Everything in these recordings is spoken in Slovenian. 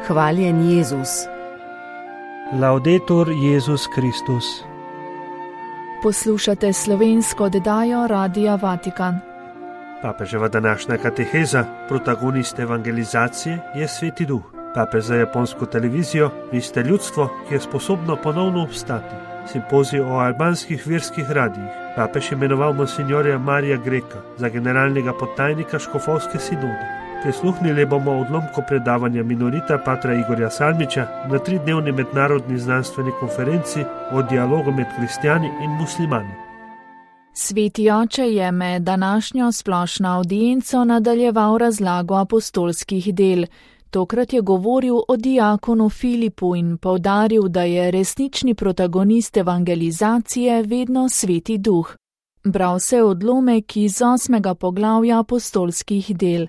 Hvaljen Jezus. Laudetur Jezus Kristus. Poslušate slovensko oddajo Radia Vatikan. Papeževa današnja kateheza, protagonist evangelizacije, je Sveti Duh. Papež za japonsko televizijo: vi ste ljudstvo, ki je sposobno ponovno obstati. Simpozij o albanskih verskih radijih. Papež imenoval monsinjorja Marija Greka za generalnega podtajnika škofovske sinode. Prisluhnili bomo odlomku predavanja minorita patra Igorja Salmiča na 3-dnevni mednarodni znanstveni konferenci o dialogu med kristjani in muslimani. Sveti oče je med današnjo splošno avdienco nadaljeval razlago apostolskih del. Tokrat je govoril o diakonu Filipu in poudaril, da je resnični protagonist evangelizacije vedno Sveti Duh. Bral se odlomek iz 8. poglavja apostolskih del.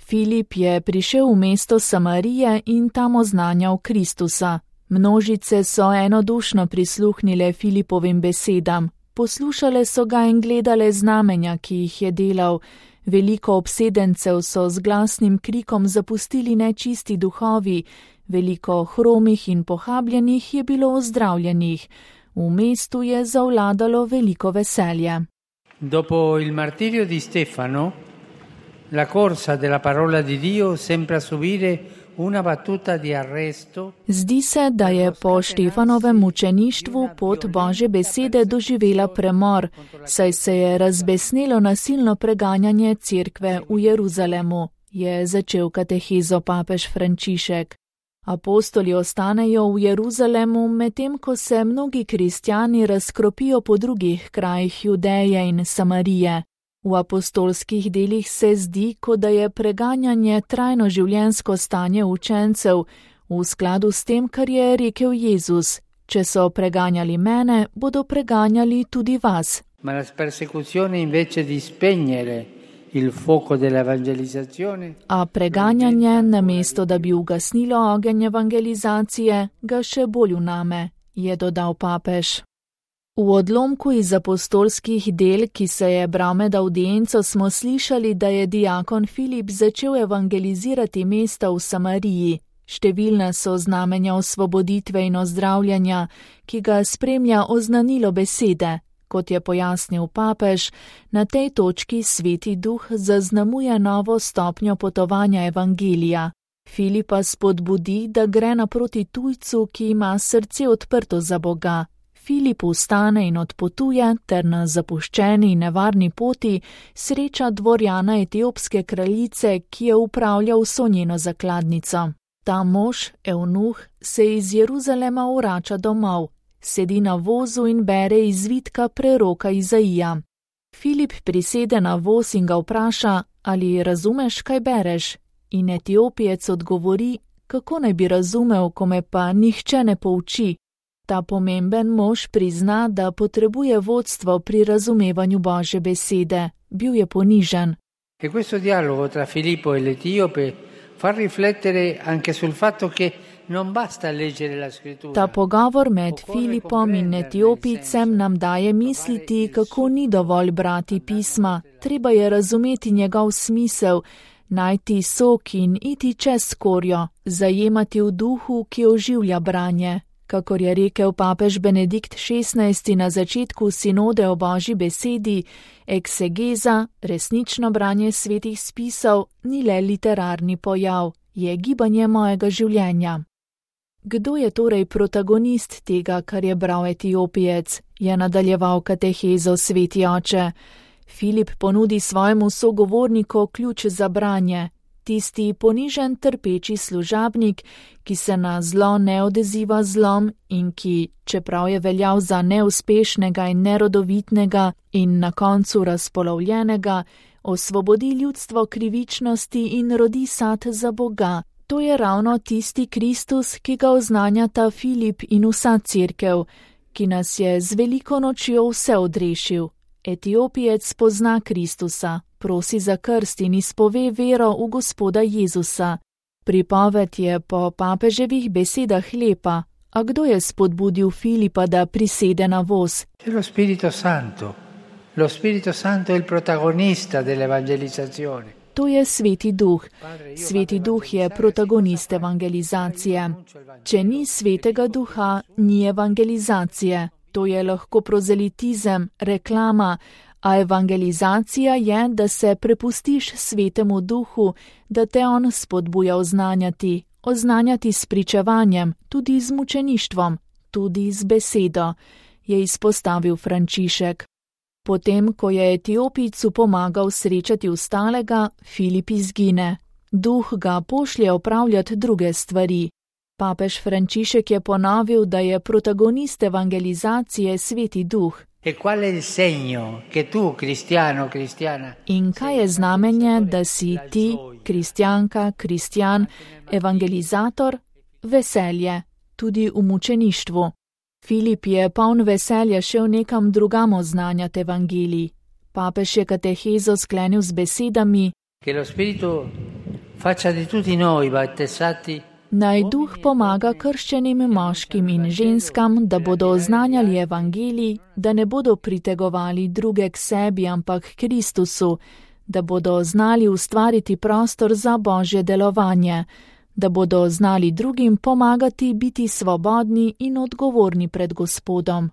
Filip je prišel v mesto Samarije in tam oznanjal Kristusa. Množice so enodušno prisluhnile Filipovim besedam. Poslušale so ga in gledale znamenja, ki jih je delal. Veliko obsedencev so z glasnim krikom zapustili nečisti duhovi, veliko hromih in pohabljenih je bilo ozdravljenih. V mestu je zavladalo veliko veselje. Dopo il martirio di Stefano, la corsa della parola di Dio sembra subire una battuta di arresto. Zdi se, da je po Štefanovem mučeništvu pot Božje besede doživela premor, saj se je razbesnelo nasilno preganjanje cerkve v Jeruzalemu, je začel katehezo papež Frančišek. Apostoli ostanejo v Jeruzalemu, medtem ko se mnogi kristjani razkropijo po drugih krajih Judeje in Samarije. V apostolskih delih se zdi, kot da je preganjanje trajno življenjsko stanje učencev, v skladu s tem, kar je rekel Jezus: če so preganjali mene, bodo preganjali tudi vas. Ma la persecuzione invece di spegnere il fuoco dell'evangelizzazione. A preganjanje, namesto da bi ugasnilo ogenj evangelizacije, ga še bolj vname, je dodal papež. V odlomku iz apostolskih del, ki se je bral med avdienco, smo slišali, da je diakon Filip začel evangelizirati mesta v Samariji. Številna so znamenja osvoboditve in ozdravljanja, ki ga spremlja oznanilo besede. Kot je pojasnil papež, na tej točki Sveti Duh zaznamuje novo stopnjo potovanja evangelija. Filipa spodbudi, da gre naproti tujcu, ki ima srce odprto za Boga. Filip vstane in odpotuje ter na zapuščeni in nevarni poti sreča dvorjana etiopske kraljice, ki je upravljal vso njeno zakladnico. Ta mož, evnuh, se iz Jeruzalema vrača domov, sedi na vozu in bere izvitka preroka Izaija. Filip prisede na voz in ga vpraša: ali razumeš, kaj bereš? In Etiopijec odgovori: kako naj bi razumel, ko me pa nihče ne pouči? Ta pomemben mož prizna, da potrebuje vodstvo pri razumevanju Božje besede. Bil je ponižen. E questo dialogo tra Filippo e l'Etiope fa riflettere anche sul fatto che non basta leggere la scrittura. Ta pogovor med Filipom in Etiopijcem nam daje misliti, kako ni dovolj brati pisma. Treba je razumeti njegov smisel, najti sok in iti čez skorjo, zajemati v duhu, ki oživlja branje. Kakor je rekel papež Benedikt XVI na začetku sinode o Božji besedi, eksegeza, resnično branje svetih spisov, ni le literarni pojav, je gibanje mojega življenja. Kdo je torej protagonist tega, kar je bral Etiopijec, je nadaljeval katehezo Sveti oče. Filip ponudi svojemu sogovorniku ključ za branje. Tisti ponižen trpeči služabnik, ki se na zlo ne odziva zlom in ki, čeprav je veljal za neuspešnega in nerodovitnega in na koncu razpolovljenega, osvobodi ljudstvo krivičnosti in rodi sad za Boga. To je ravno tisti Kristus, ki ga oznanjata Filip in vsa cerkev, ki nas je z veliko nočjo vse odrešil. Etiopijec pozna Kristusa, prosi za krst in izpove vero v Gospoda Jezusa. Pripoved je po papeževih besedah lepa, a kdo je spodbudil Filipa, da prisede na voz? Lo Spirito Santo. Lo Spirito Santo è il protagonista dell'evangelizzazione. To je Sveti Duh. Sveti Duh je protagonist evangelizacije. Če ni Svetega Duha, ni evangelizacije. To je lahko prozelitizem, reklama, a evangelizacija je, da se prepustiš Svetemu Duhu, da te on spodbuja oznanjati s pričevanjem, tudi z mučeništvom, tudi z besedo, je izpostavil Frančišek. Potem, ko je Etiopijcu pomagal srečati ostalega, Filip izgine. Duh ga pošlje opravljati druge stvari. Papež Frančišek je ponovil, da je protagonist evangelizacije Sveti Duh. In kaj je znamenje, da si ti, kristjanka, kristjan, evangelizator? Veselje, tudi v mučeništvu. Filip je poln veselja šel nekam drugam oznanjati evangelij. Papež je katehezo sklenil z besedami: Naj Duh pomaga krščenim moškim in ženskam, da bodo oznanjali evangelij, da ne bodo pritegovali druge k sebi, ampak k Kristusu, da bodo znali ustvariti prostor za Božje delovanje, da bodo znali drugim pomagati biti svobodni in odgovorni pred Gospodom.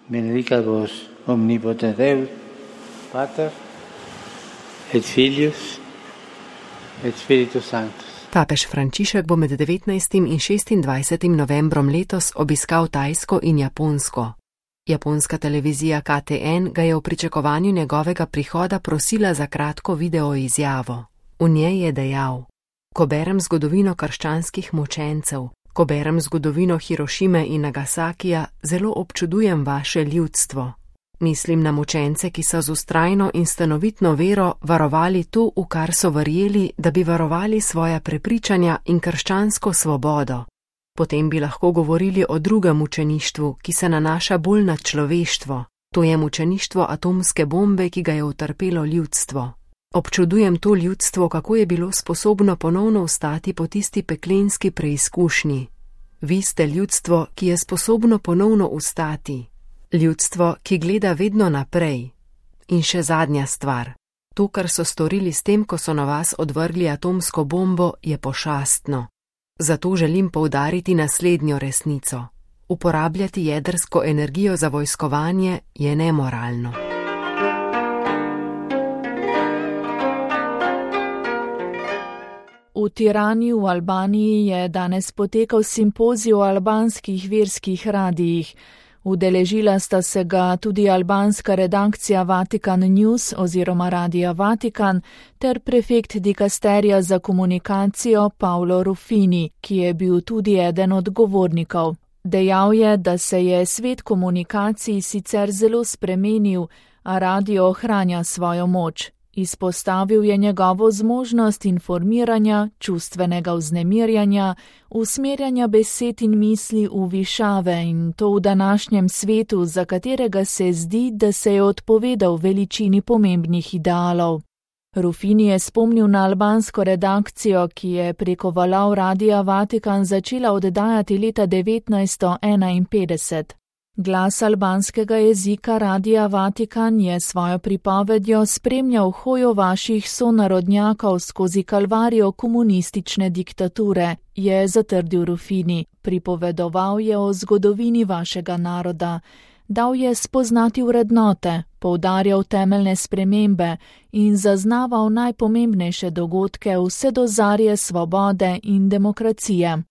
Benedicat vos omnipotens Deus, Pater, et Filius, et Spiritus Sanctus. Papež Frančišek bo med 19. in 26. novembrom letos obiskal Tajsko in Japonsko. Japonska televizija KTN ga je v pričakovanju njegovega prihoda prosila za kratko video izjavo. V njej je dejal: Ko berem zgodovino krščanskih mučencev, ko berem zgodovino Hirošime in Nagasakija, zelo občudujem vaše ljudstvo. Mislim na mučence, ki so z vztrajno in stanovitno vero varovali to, v kar so verjeli, da bi varovali svoja prepričanja in krščansko svobodo. Potem bi lahko govorili o drugem mučeništvu, ki se nanaša bolj na človeštvo. To je mučeništvo atomske bombe, ki ga je utrpelo ljudstvo. Občudujem to ljudstvo, kako je bilo sposobno ponovno vstati po tisti peklenski preizkušnji. Vi ste ljudstvo, ki je sposobno ponovno vstati. Ljudstvo, ki gleda vedno naprej. In še zadnja stvar. To, kar so storili s tem, ko so na vas odvrgli atomsko bombo, je pošastno. Zato želim poudariti naslednjo resnico. Uporabljati jedrsko energijo za vojskovanje je nemoralno. V Tirani v Albaniji je danes potekal simpozij o albanskih verskih radijih. Udeležila sta se ga tudi albanska redakcija Vatikan News oziroma Radija Vatikan ter prefekt dikasterija za komunikacijo Paolo Ruffini, ki je bil tudi eden od govornikov. Dejal je, da se je svet komunikacij sicer zelo spremenil, a radio ohranja svojo moč. Izpostavil je njegovo zmožnost informiranja, čustvenega vznemirjanja, usmerjanja besed in misli v višave in to v današnjem svetu, za katerega se zdi, da se je odpovedal veličini pomembnih idealov. Ruffini je spomnil na albansko redakcijo, ki je preko valov Radija Vatikan začela oddajati leta 1951. Glas albanskega jezika Radija Vatikan je svojo pripovedjo spremljal hojo vaših sonarodnjakov skozi kalvarijo komunistične diktature, je zatrdil Ruffini. Pripovedoval je o zgodovini vašega naroda, dal je spoznati vrednote, poudarjal temeljne spremembe in zaznaval najpomembnejše dogodke vse do zarje svobode in demokracije.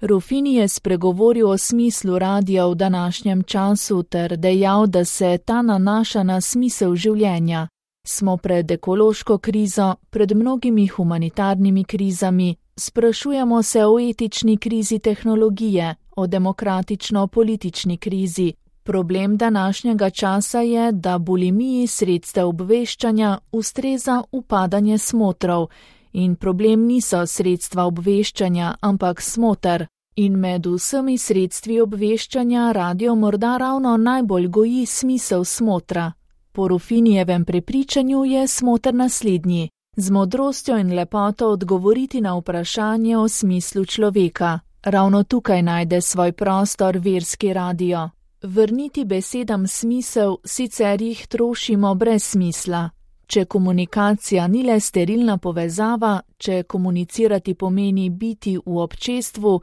Ruffini je spregovoril o smislu radija v današnjem času ter dejal, da se ta nanaša na smisel življenja. Smo pred ekološko krizo, pred mnogimi humanitarnimi krizami, sprašujemo se o etični krizi tehnologije, o demokratično-politični krizi. Problem današnjega časa je, da bulimiji sredstev obveščanja ustreza upadanje smotrov. In problem niso sredstva obveščanja, ampak smoter. In med vsemi sredstvi obveščanja radio morda ravno najbolj goji smisel smotra. Po Ruffinijevem prepričanju je smoter naslednji: z modrostjo in lepoto odgovoriti na vprašanje o smislu človeka. Ravno tukaj najde svoj prostor verski radio. Vrniti besedam smisel, sicer jih trošimo brez smisla. če komunikacija ni le sterilna povezava, če komunicirati pomeni biti v občestvu,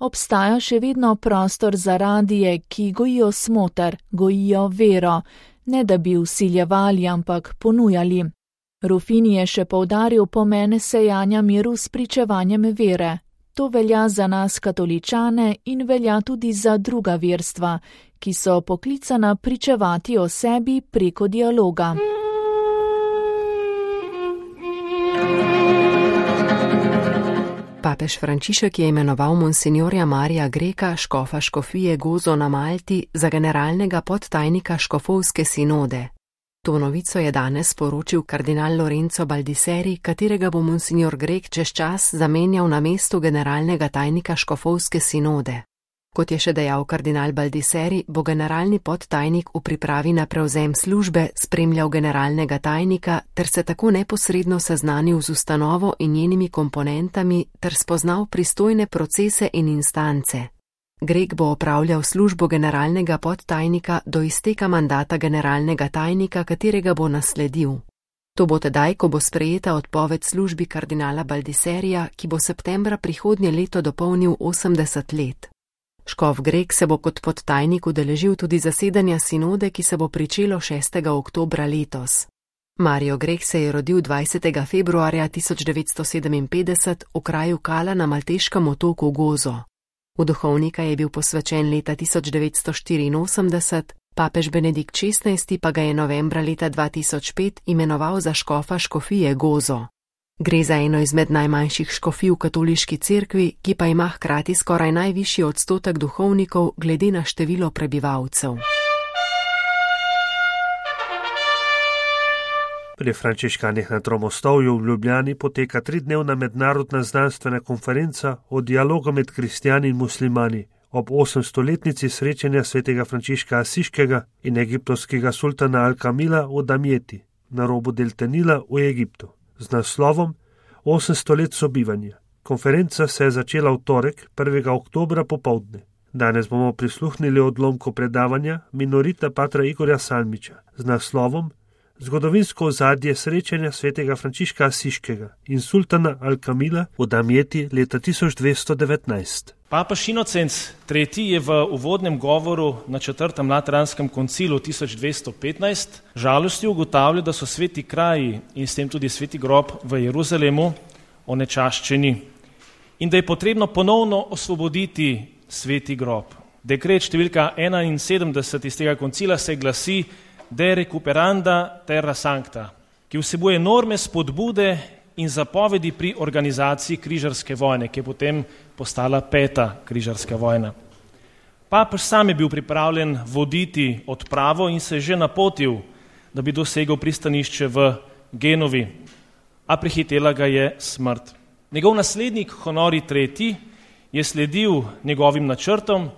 obstaja še vedno prostor za radije, ki gojijo smoter, gojijo vero, ne da bi vsiljevali, ampak ponujali. Rufini je še poudaril pomen sejanja miru s pričevanjem vere. To velja za nas katoličane in velja tudi za druga verstva, ki so poklicana pričevati o sebi preko dialoga. Papež Frančišek je imenoval monsinjorja Marija Greka, škofa škofije Gozo na Malti, za generalnega podtajnika škofovske sinode. To novico je danes sporočil kardinal Lorenzo Baldisseri, katerega bo monsinjor Grek čez čas zamenjal na mestu generalnega tajnika škofovske sinode. Kot je še dejal kardinal Baldisseri, bo generalni podtajnik v pripravi na prevzem službe spremljal generalnega tajnika ter se tako neposredno seznanil z ustanovo in njenimi komponentami ter spoznal pristojne procese in instance. Grek bo opravljal službo generalnega podtajnika do izteka mandata generalnega tajnika, katerega bo nasledil. To bo tedaj, ko bo sprejeta odpoved službi kardinala Baldisserija, ki bo septembra prihodnje leto dopolnil 80 let. Škof Grek se bo kot podtajnik udeležil tudi zasedanja sinode, ki se bo pričelo 6. oktobra letos. Mario Grek se je rodil 20. februarja 1957 v kraju Kala na malteškem otoku Gozo. V duhovnika je bil posvečen leta 1984, papež Benedikt XVI pa ga je novembra leta 2005 imenoval za škofa škofije Gozo. Gre za eno izmed najmanjših škofij v katoliški cerkvi, ki pa ima hkrati skoraj najvišji odstotek duhovnikov glede na število prebivalcev. Pri frančiškanih na Tromostovju v Ljubljani poteka 3-dnevna mednarodna znanstvena konferenca o dialogu med kristjani in muslimani ob 800-letnici srečanja svetega Frančiška Asiškega in egiptovskega sultana Al-Kamila v Damjeti, na robu delte Nila v Egiptu, z naslovom 800 let sobivanja. Konferenca se je začela v torek, 1. oktobra popoldne. Danes bomo prisluhnili odlomku predavanja minorita patra Igorja Salmiča z naslovom Zgodovinsko ozadje srečanja svetega Frančiška Asiškega in sultana Al-Kamila v Damjeti leta 1219. Papež Inocenc III. Je v uvodnem govoru na 4. Lateranskem koncilu 1215 žalostjo ugotavljal, da so sveti kraji in s tem tudi sveti grob v Jeruzalemu onečaščeni in da je potrebno ponovno osvoboditi sveti grob. Dekret številka 71 iz tega koncila se glasi De recuperanda terra sancta, ki vsebuje norme spodbude in zapovedi pri organizaciji križarske vojne, ki je potem postala 5. križarska vojna. Papež sam je bil pripravljen voditi odpravo in se je že napotil, da bi dosegel pristanišče v Genovi, a prehitela ga je smrt. Njegov naslednik Honori III. Je sledil njegovim načrtom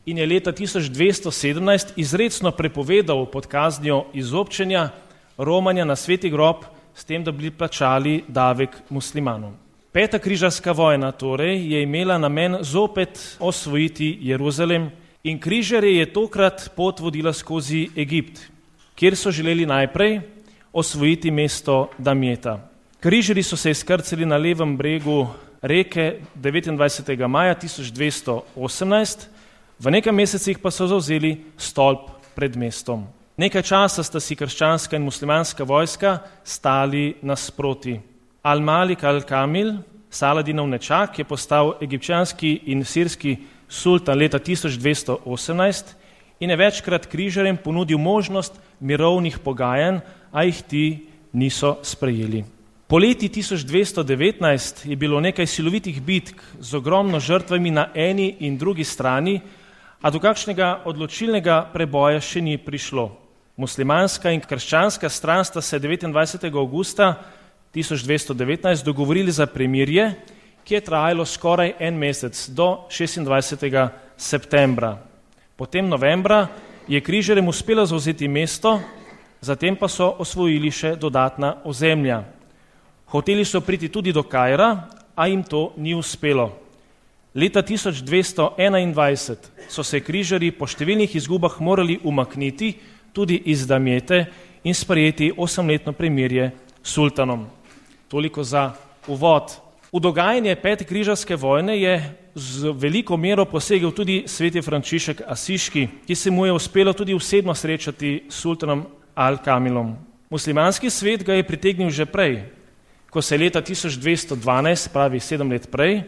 in je leta 1217 izrecno prepovedal pod kaznjo izobčenja romanja na sveti grob s tem, da bi plačali davek muslimanom. 5. križarska vojna torej je imela namen zopet osvojiti Jeruzalem in križarje je tokrat pot vodila skozi Egipt, kjer so želeli najprej osvojiti mesto Damjeta. Križarji so se izkrcali na levem bregu reke 29. maja 1218, v nekaj mesecih pa so zavzeli stolp pred mestom. Nekaj časa sta si krščanska in muslimanska vojska stali nasproti. Al-Malik al-Kamil, Saladinov nečak, je postal egipčanski in sirski sultan leta 1218 in je večkrat križarjem ponudil možnost mirovnih pogajanj, a jih ti niso sprejeli. Poleti 1219 je bilo nekaj silovitih bitk z ogromno žrtvami na eni in drugi strani, a do kakšnega odločilnega preboja še ni prišlo. Muslimanska in krščanska stran sta se 29. augusta 1219 dogovorili za premirje, ki je trajalo skoraj en mesec, do 26. septembra. Potem novembra je križarjem uspelo zavzeti mesto, zatem pa so osvojili še dodatna ozemlja. Hoteli so priti tudi do Kaira, a jim to ni uspelo. Leta 1221 so se križarji po številnih izgubah morali umakniti tudi iz Damjete in sprejeti 8-letno premirje sultanom. Toliko za uvod. V dogajanje Pete križarske vojne je z veliko mero posegel tudi sveti Frančišek Asiški, ki se mu je uspelo tudi osebno srečati s sultanom Al-Kamilom. Muslimanski svet ga je pritegnil že prej, ko se je leta 1212, pravi 7 let prej,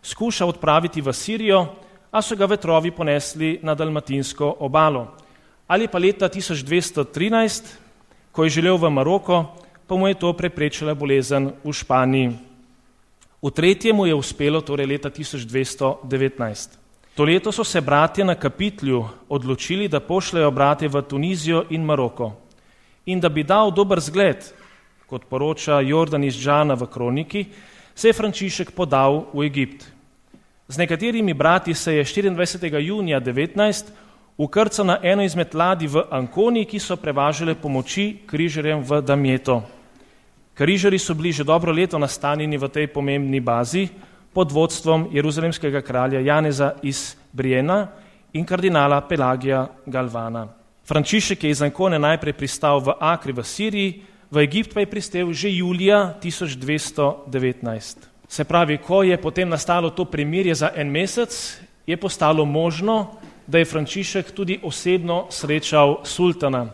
skušal odpraviti v Sirijo, a so ga vetrovi ponesli na dalmatinsko obalo. Ali pa leta 1213, ko je želel v Maroko, pa mu je to preprečila bolezen v Španiji. V tretje mu je uspelo torej leta 1219. To leto so se bratje na Kapitlju odločili, da pošljajo brate v Tunizijo in Maroko. In da bi dal dober zgled, kot poroča Jordan iz Džana v kroniki, se je Frančišek podal v Egipt. Z nekaterimi brati se je 24. junija 19 ukrcal na eno izmed ladij v Ankoni, ki so prevažale pomoči križarjem v Damjeto. Križarji so bili že dobro leto nastanjeni v tej pomembni bazi pod vodstvom jeruzalemskega kralja Janeza iz Briena in kardinala Pelagija Galvana. Frančišek je iz Ankone najprej pristal v Akri v Siriji, v Egipt pa je pristal že julija 1219. Se pravi, ko je potem nastalo to premirje za en mesec, je postalo možno, da je Frančišek tudi osebno srečal sultana.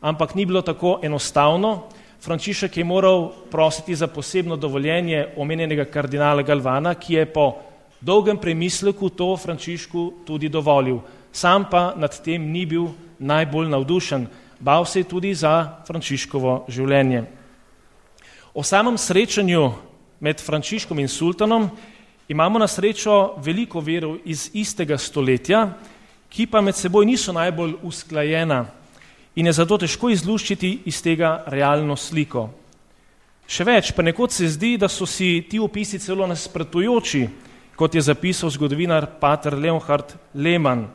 Ampak ni bilo tako enostavno. Frančišek je moral prositi za posebno dovoljenje omenjenega kardinala Galvana, ki je po dolgem premisleku to Frančišku tudi dovolil. Sam pa nad tem ni bil najbolj navdušen. Bal se je tudi za Frančiškovo življenje. O samem srečanju med Frančiškom in sultanom imamo na srečo veliko verov iz istega stoletja, ki pa med seboj niso najbolj usklajena in je zato težko izluščiti iz tega realno sliko. Še več, pa nekod se zdi, da so si ti opisi celo nasprotujoči, kot je zapisal zgodovinar pater Leonhard Lehmann.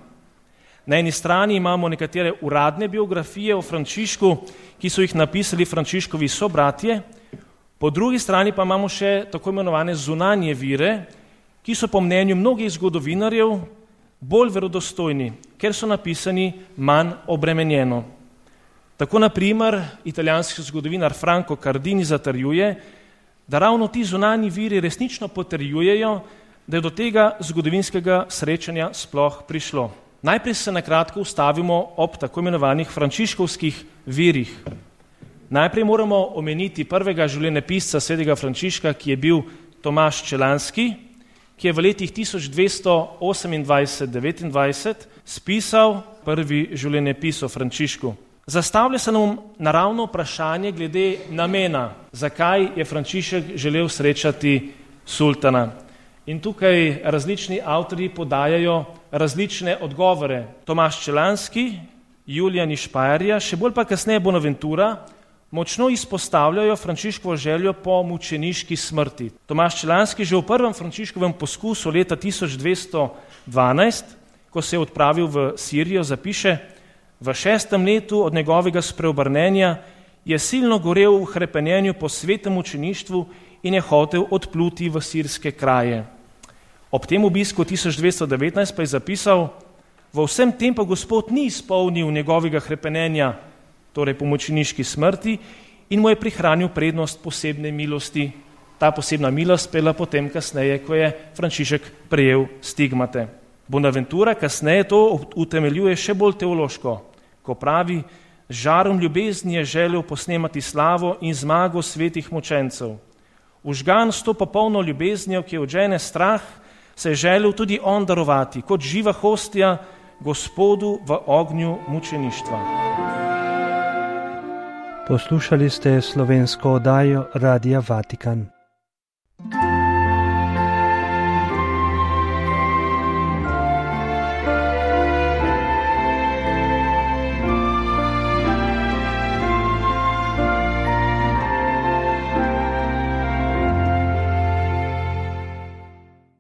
Na eni strani imamo nekatere uradne biografije o Frančišku, ki so jih napisali Frančiškovi sobratje, po drugi strani pa imamo še tako imenovane zunanje vire, ki so po mnenju mnogih zgodovinarjev bolj verodostojni, ker so napisani manj obremenjeno. Tako na primer italijanski zgodovinar Franco Cardini zatrjuje, da ravno ti zunanji viri resnično potrjujejo, da je do tega zgodovinskega srečanja sploh prišlo. Najprej se na kratko ustavimo ob tako imenovanih frančiškovskih virih. Najprej moramo omeniti prvega življenjepisca svetega Frančiška, ki je bil Tomaž Čelanski, ki je v letih 1228-29 spisal prvi življenjepis o Frančišku. Zastavlja se nam naravno vprašanje glede namena, zakaj je Frančišek želel srečati sultana. In tukaj različni avtorji podajajo različne odgovore. Tomaž Čelanski, Julijan iz Špajerja, še bolj pa kasneje Bonaventura, močno izpostavljajo Frančiškovo željo po mučeniški smrti. Tomaž Čelanski že v prvem Frančiškovem poskusu leta 1212, ko se je odpravil v Sirijo, zapiše: v 6. letu od njegovega spreobrnenja je silno gorel v hrepenenju po svetem mučeništvu in je hotel odpluti v sirske kraje. Ob tem obisku 1219 pa je zapisal: v vsem tem pa Gospod ni izpolnil njegovega hrepenenja, torej po mučeniški smrti, in mu je prihranil prednost posebne milosti. Ta posebna milost pela potem kasneje, ko je Frančišek prejel stigmate. Bonaventura kasneje to utemeljuje še bolj teološko, ko pravi: z žarom ljubezni je želel posnemati slavo in zmago svetih mučencev. Užgan s to popolno ljubeznijo, ki odžene strah, se je želel tudi on darovati, kot živa hostja Gospodu v ognju mučeništva. Poslušali ste slovensko oddajo Radia Vatikan.